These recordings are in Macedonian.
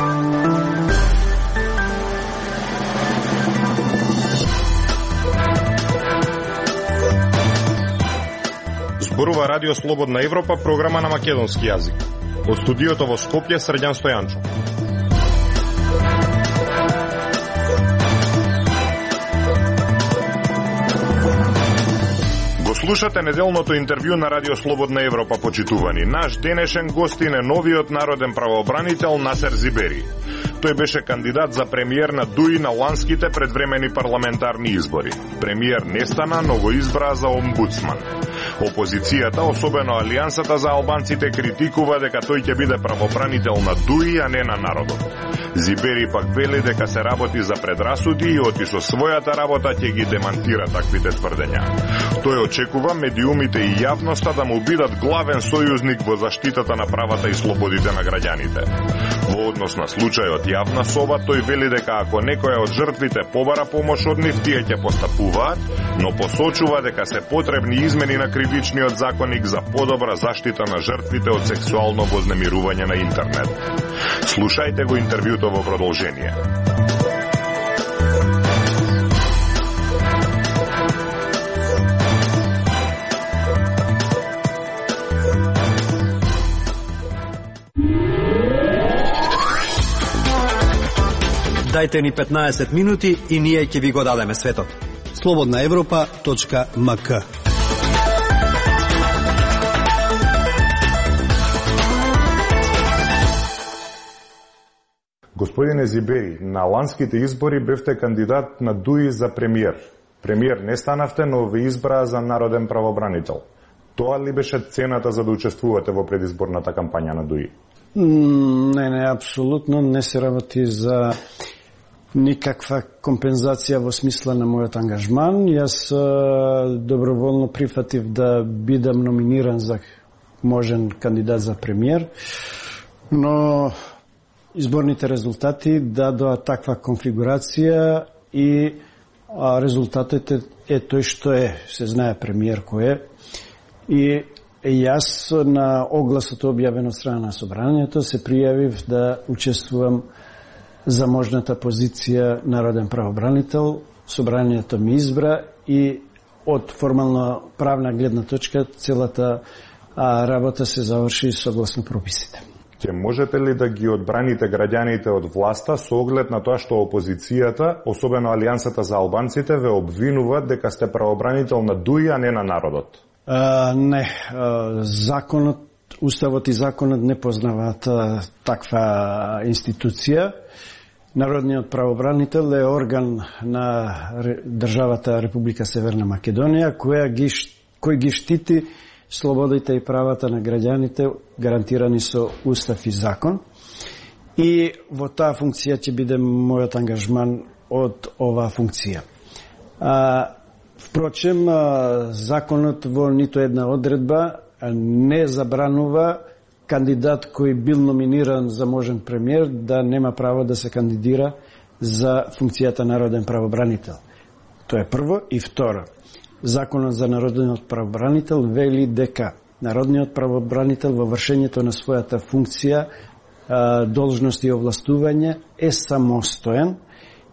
Зборува Радио Слободна Европа, програма на македонски јазик. Од студиото во Скопје, Срđan Стојанчо. Го слушате неделното интервју на Радио Слободна Европа, почитувани. Наш денешен гостин е новиот народен правообранител Насер Зибери. Тој беше кандидат за премиер на ДУИ на ланските предвремени парламентарни избори. Премиер не стана, но го избра за омбудсман. Опозицијата, особено Алијансата за албанците, критикува дека тој ќе биде правобранител на ДУИ, а не на народот. Зибери пак вели дека се работи за предрасуди и оти со својата работа ќе ги демантира таквите тврдења. Тој очекува медиумите и јавноста да му бидат главен сојузник во заштитата на правата и слободите на граѓаните. Во однос на случајот јавна соба, тој вели дека ако некоја од жртвите побара помош од нив, тие ќе постапуваат, но посочува дека се потребни измени на кривичниот законник за подобра заштита на жртвите од сексуално вознемирување на интернет. Слушајте го интервјуто во продолжение. Дајте ни 15 минути и ние ќе ви го дадеме светот. slobodnaevropa.mk. Господине Зибери, на ланските избори бевте кандидат на ДУИ за премиер. Премиер не станавте, но ве избраа за народен правобранител. Тоа ли беше цената за да учествувате во предизборната кампања на ДУИ? Не, апсолутно не се работи за никаква компензација во смисла на мојот ангажман. Јас доброволно прифатив да бидам номиниран за можен кандидат за премиер, но изборните резултати дадоа таква конфигурација и резултатот е тој што е. Се знае премиер кој е. И јас на огласот објавен од страна на собранието се пријавив да учествувам за можната позиција народен правобранител. Собранието ми избра и од формално правна гледна точка целата работа се заврши согласно прописите. Ќе можете ли да ги одбраните граѓаните од власта со оглед на тоа што опозицијата, особено Алијансата за албанците, ве обвинуваат дека сте правобранител на ДУИ, а не на народот? Не. Законот, уставот и законот не познаваат таква институција. Народниот правобранител е орган на државата Република Северна Македонија, кој ги штити слободите и правата на граѓаните гарантирани со устав и закон. И во таа функција ќе биде мојот ангажман од оваа функција. Впрочем, законот во ниту една одредба не забранува кандидат кој бил номиниран за можен премиер да нема право да се кандидира за функцијата народен правобранител. Тоа е прво. И второ, Законот за народниот правобранител вели дека народниот правобранител во вршењето на својата функција, должност и овластување е самостоен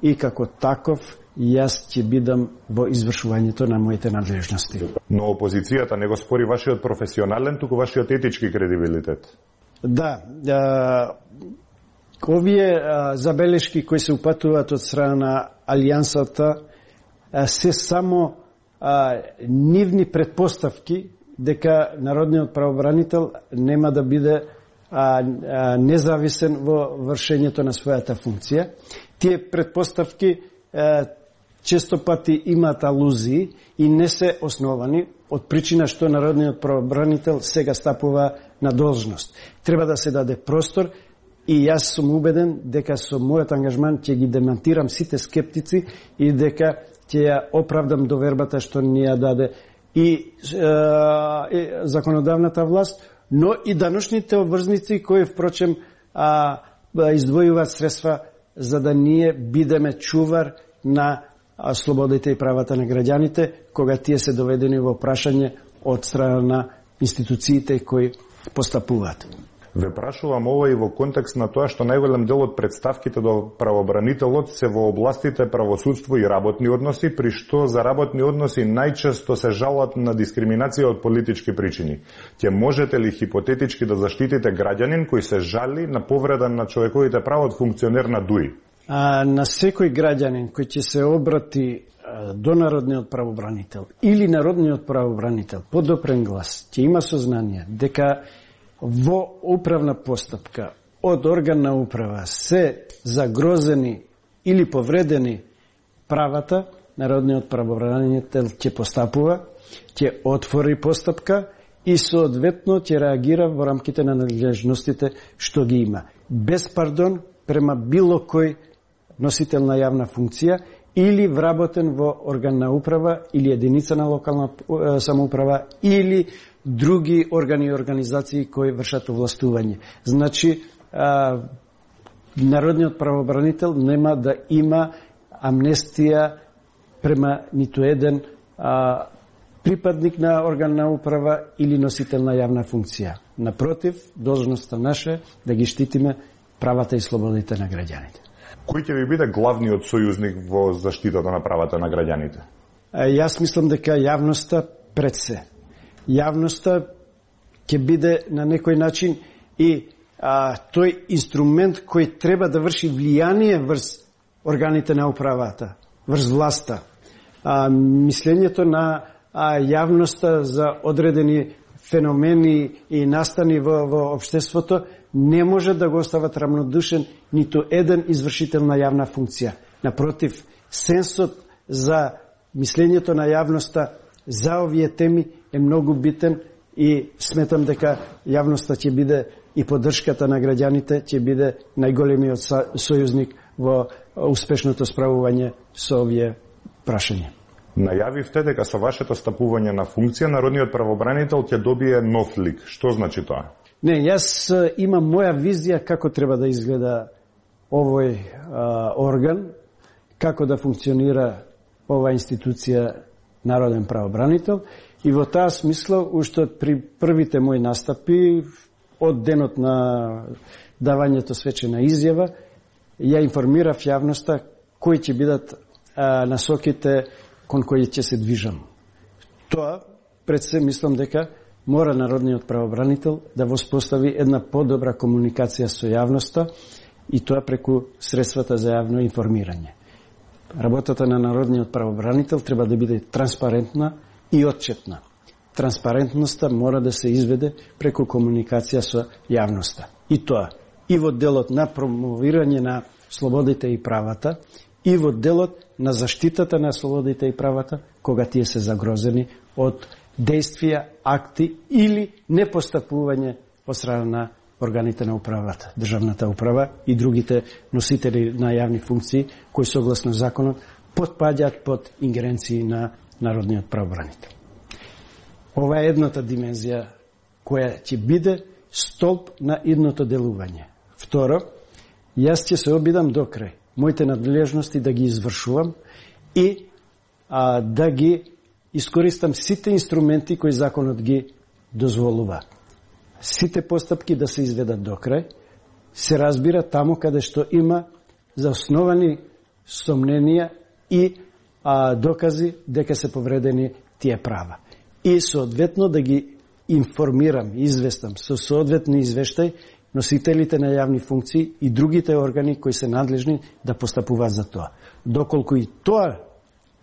и како таков јас ќе бидам во извршувањето на моите надлежности. Но опозицијата не го спори вашиот професионален, туку вашиот етички кредибилитет. Да, овие забелешки кои се упатуваат од страна на Алијансата се само нивни предпоставки дека народниот правобранител нема да биде независен во вршењето на својата функција. Тие предпоставки често пати имаат алузии и не се основани од причина што народниот правобранител сега стапува на должност. Треба да се даде простор и јас сум убеден дека со мојот ангажман ќе ги демантирам сите скептици и дека ќе ја оправдам довербата што ни ја даде и законодавната власт, но и даношните обврзници кои впрочем издвојуваат средства за да ние бидеме чувар на слободите и правата на граѓаните кога тие се доведени во прашање од страна на институциите кои постапуваат. Ве прашувам ова и во контекст на тоа што најголем дел од представките до правобранителот се во областите правосудство и работни односи, при што за работни односи најчесто се жалат на дискриминација од политички причини. Ќе можете ли хипотетички да заштитите граѓанин кој се жали на повреда на човековите права од функционер на ДУИ? На секој граѓанин кој ќе се обрати до народниот правобранител или народниот правобранител по допрен глас, ќе има сознание дека во управна постапка од орган на управа се загрозени или повредени правата, народниот правобранител ќе постапува, ќе отвори постапка и соодветно ќе реагира во рамките на надлежностите што ги има. Без пардон према било кој носител на јавна функција или вработен во орган на управа или единица на локална самоуправа или други органи и организации кои вршат овластување. Значи, народниот правобранител нема да има амнестија према ниту еден припадник на орган на управа или носител на јавна функција. Напротив, должноста наша е да ги штитиме правата и слободите на граѓаните. Кој ќе ви биде главниот сојузник во заштитата на правата на граѓаните? Јас мислам дека јавноста пред се. Јавноста ќе биде на некој начин и тој инструмент кој треба да врши влијание врз органите на управата, врз власта. Мислењето на јавноста за одредени феномени и настани во општеството не може да го остават рамнодушен ниту еден извршител на јавна функција. Напротив, сенсот за мислењето на јавноста за овие теми е многу битен и сметам дека јавноста ќе биде и поддршката на граѓаните ќе биде најголемиот сојузник во успешното справување со овие прашања. Најавивте дека со вашето стапување на функција народниот правобранител ќе добие нов лик. Што значи тоа? Не, јас имам моја визија како треба да изгледа овој орган, како да функционира ова институција народен правобранител и во таа смисла уште при првите мои настапи од денот на давањето свечена изјава ја информирав јавноста кои ќе бидат насоките кон кои ќе се движам. Тоа пред се мислам дека мора народниот правобранител да воспостави една подобра комуникација со јавноста и тоа преку средствата за јавно информирање. Работата на народниот правобранител треба да биде транспарентна и отчетна. Транспарентноста мора да се изведе преку комуникација со јавноста. И тоа и во делот на промовирање на слободите и правата, и во делот на заштитата на слободите и правата, кога тие се загрозени од действија, акти или непостапување од страна на органите на управата, државната управа и другите носители на јавни функции, кои согласно законот потпаѓаат под ингеренции на народниот правобранител. Ова е едната димензија која ќе биде столб на идното делување. Второ, јас ќе се обидам до крај моите надлежности да ги извршувам и да ги искористам сите инструменти кои законот ги дозволува. Сите постапки да се изведат до крај, се разбира таму каде што има заосновани сомненија и докази дека се повредени тие права. И соодветно да ги информирам, известам со соодветни извештај носителите на јавни функции и другите органи кои се надлежни да постапуваат за тоа. Доколку и тоа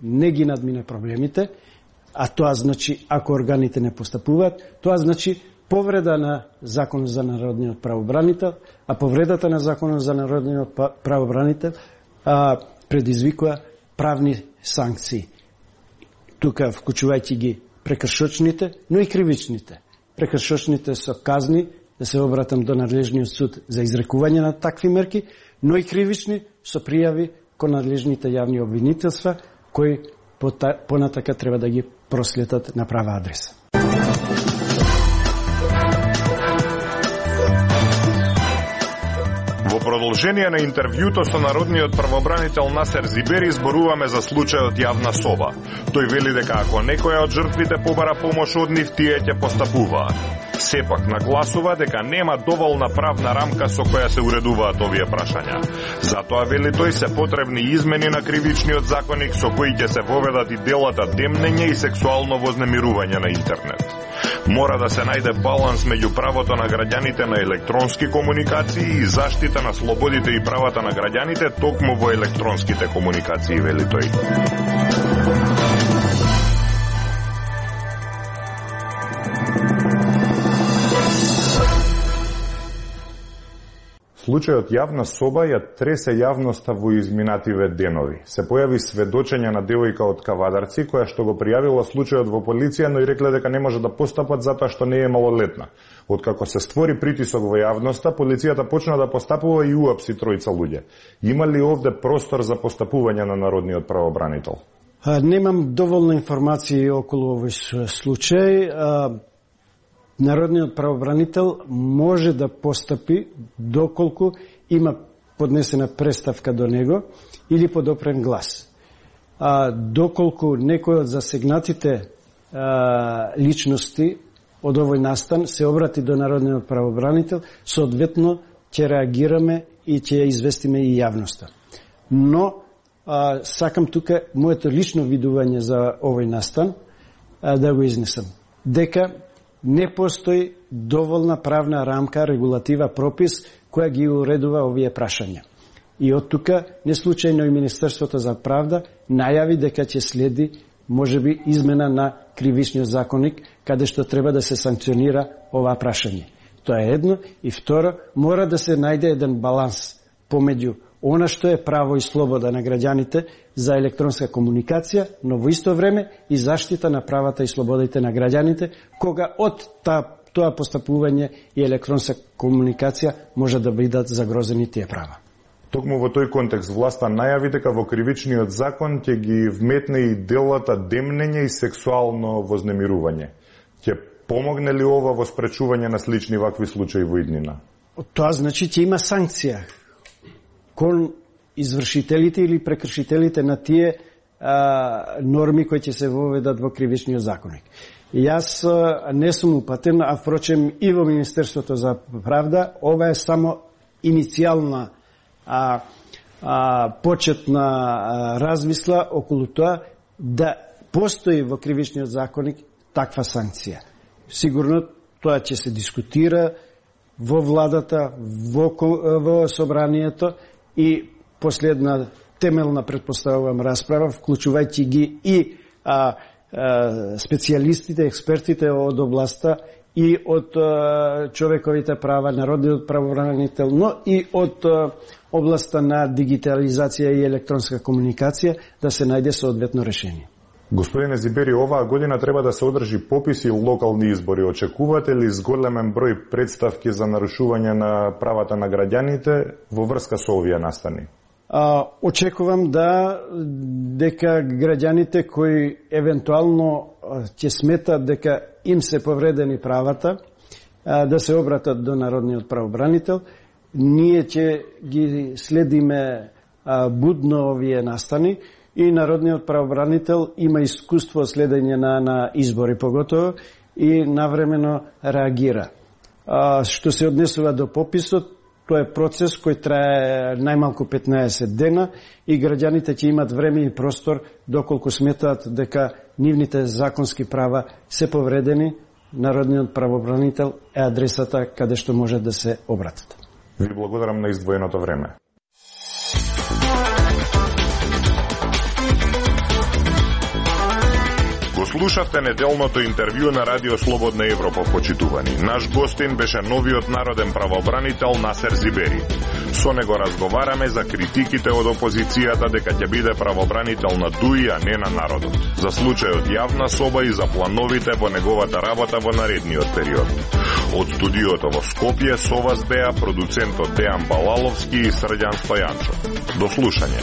не ги надмине проблемите, а тоа значи ако органите не постапуваат, тоа значи повреда на Законот за народниот правобранител, а повредата на Законот за народниот правобранител предизвикува правни санкции. Тука вклучувајќи ги прекршочните, но и кривичните. Прекршочните со казни, да се обратам до надлежниот суд за изрекување на такви мерки, но и кривични со пријави кон надлежните јавни обвинителства, кои понатака треба да ги проследат на права адреса. Во продолжение на интервјуто со народниот правобранител Насер Зибери зборуваме за случајот јавна соба. Тој вели дека ако некоја од жртвите побара помош од нив, тие ќе постапуваат. Сепак нагласува дека нема доволна правна рамка со која се уредуваат овие прашања. Затоа, вели тој, се потребни измени на кривичниот законник со кои ќе се воведат и делата демнење и сексуално вознемирување на интернет. Мора да се најде баланс меѓу правото на граѓаните на електронски комуникации и заштита на слободите и правата на граѓаните токму во електронските комуникации, вели тој. Случајот јавна соба ја тресе јавноста во изминативе денови. Се појави сведочење на девојка од Кавадарци, која што го пријавила случајот во полиција, но и рекле дека не може да постапат затоа што не е малолетна. Откако се створи притисок во јавноста, полицијата почна да постапува и уапси тројца луѓе. Има ли овде простор за постапување на народниот правобранител? Немам доволно информации околу овој случај. Народниот правобранител може да постапи доколку има поднесена преставка до него или подопрен глас. Доколку некој од засегнатите личности од овој настан се обрати до народниот правобранител, соодветно ќе реагираме и ќе ја известиме и јавноста. Но сакам тука моето лично видување за овој настан да го изнесам. Дека не постои доволна правна рамка, регулатива, пропис која ги уредува овие прашања. И од тука, не случајно и Министерството за правда најави дека ќе следи можеби измена на кривичниот законник, каде што треба да се санкционира ова прашање. Тоа е едно. И второ, мора да се најде еден баланс помеѓу она што е право и слобода на граѓаните за електронска комуникација, но во исто време и заштита на правата и слободите на граѓаните, кога од тоа постапување и електронска комуникација може да бидат загрозени тие права. Токму во тој контекст власта најави дека во кривичниот закон ќе ги вметне и делата демнење и сексуално вознемирување. Ќе помогне ли ова во спречување на слични вакви случаи во иднина? Тоа значи ќе има санкција кон извршителите или прекршителите на тие норми кои ќе се воведат во кривичниот законник. Јас не сум упатен, а впрочем и во Министерството за правда, ова е само иницијална почетна размисла околу тоа да постои во кривичниот законник таква санкција. Сигурно тоа ќе се дискутира во владата, во собранието и последна темелна, предпоставувам, расправа, вклучувајќи ги и специјалистите, експертите од областа и од човековите права, народниот правобранител, но и од областа на дигитализација и електронска комуникација, да се најде соодветно решение. Господине Зибери, оваа година треба да се одржи попис и локални избори. Очекувате ли зголемен број представки за нарушување на правата на граѓаните во врска со овие настани? Очекувам дека граѓаните кои евентуално ќе сметат дека им се повредени правата, да се обратат до народниот правобранител. Ние ќе ги следиме будно овие настани и народниот правобранител има искуство од следење на избори поготово и навремено реагира. Што се однесува до пописот, тоа е процес кој трае најмалку 15 дена и граѓаните ќе имат време и простор доколку сметаат дека нивните законски права се повредени. Народниот правобранител е адресата каде што може да се обратат. Ви благодарам на издвоеното време. Слушавте неделното интервју на Радио Слободна Европа, почитувани. Наш гостин беше новиот народен правобранител Насер Зибери. Со него разговараме за критиките од опозицијата дека ќе биде правобранител на ДУИ, а не на народот. За случајот јавна соба и за плановите во неговата работа во наредниот период. Од студиото во Скопје со вас беа продуцентот Дејан Балаловски и Срđan Стојанчов. До слушање.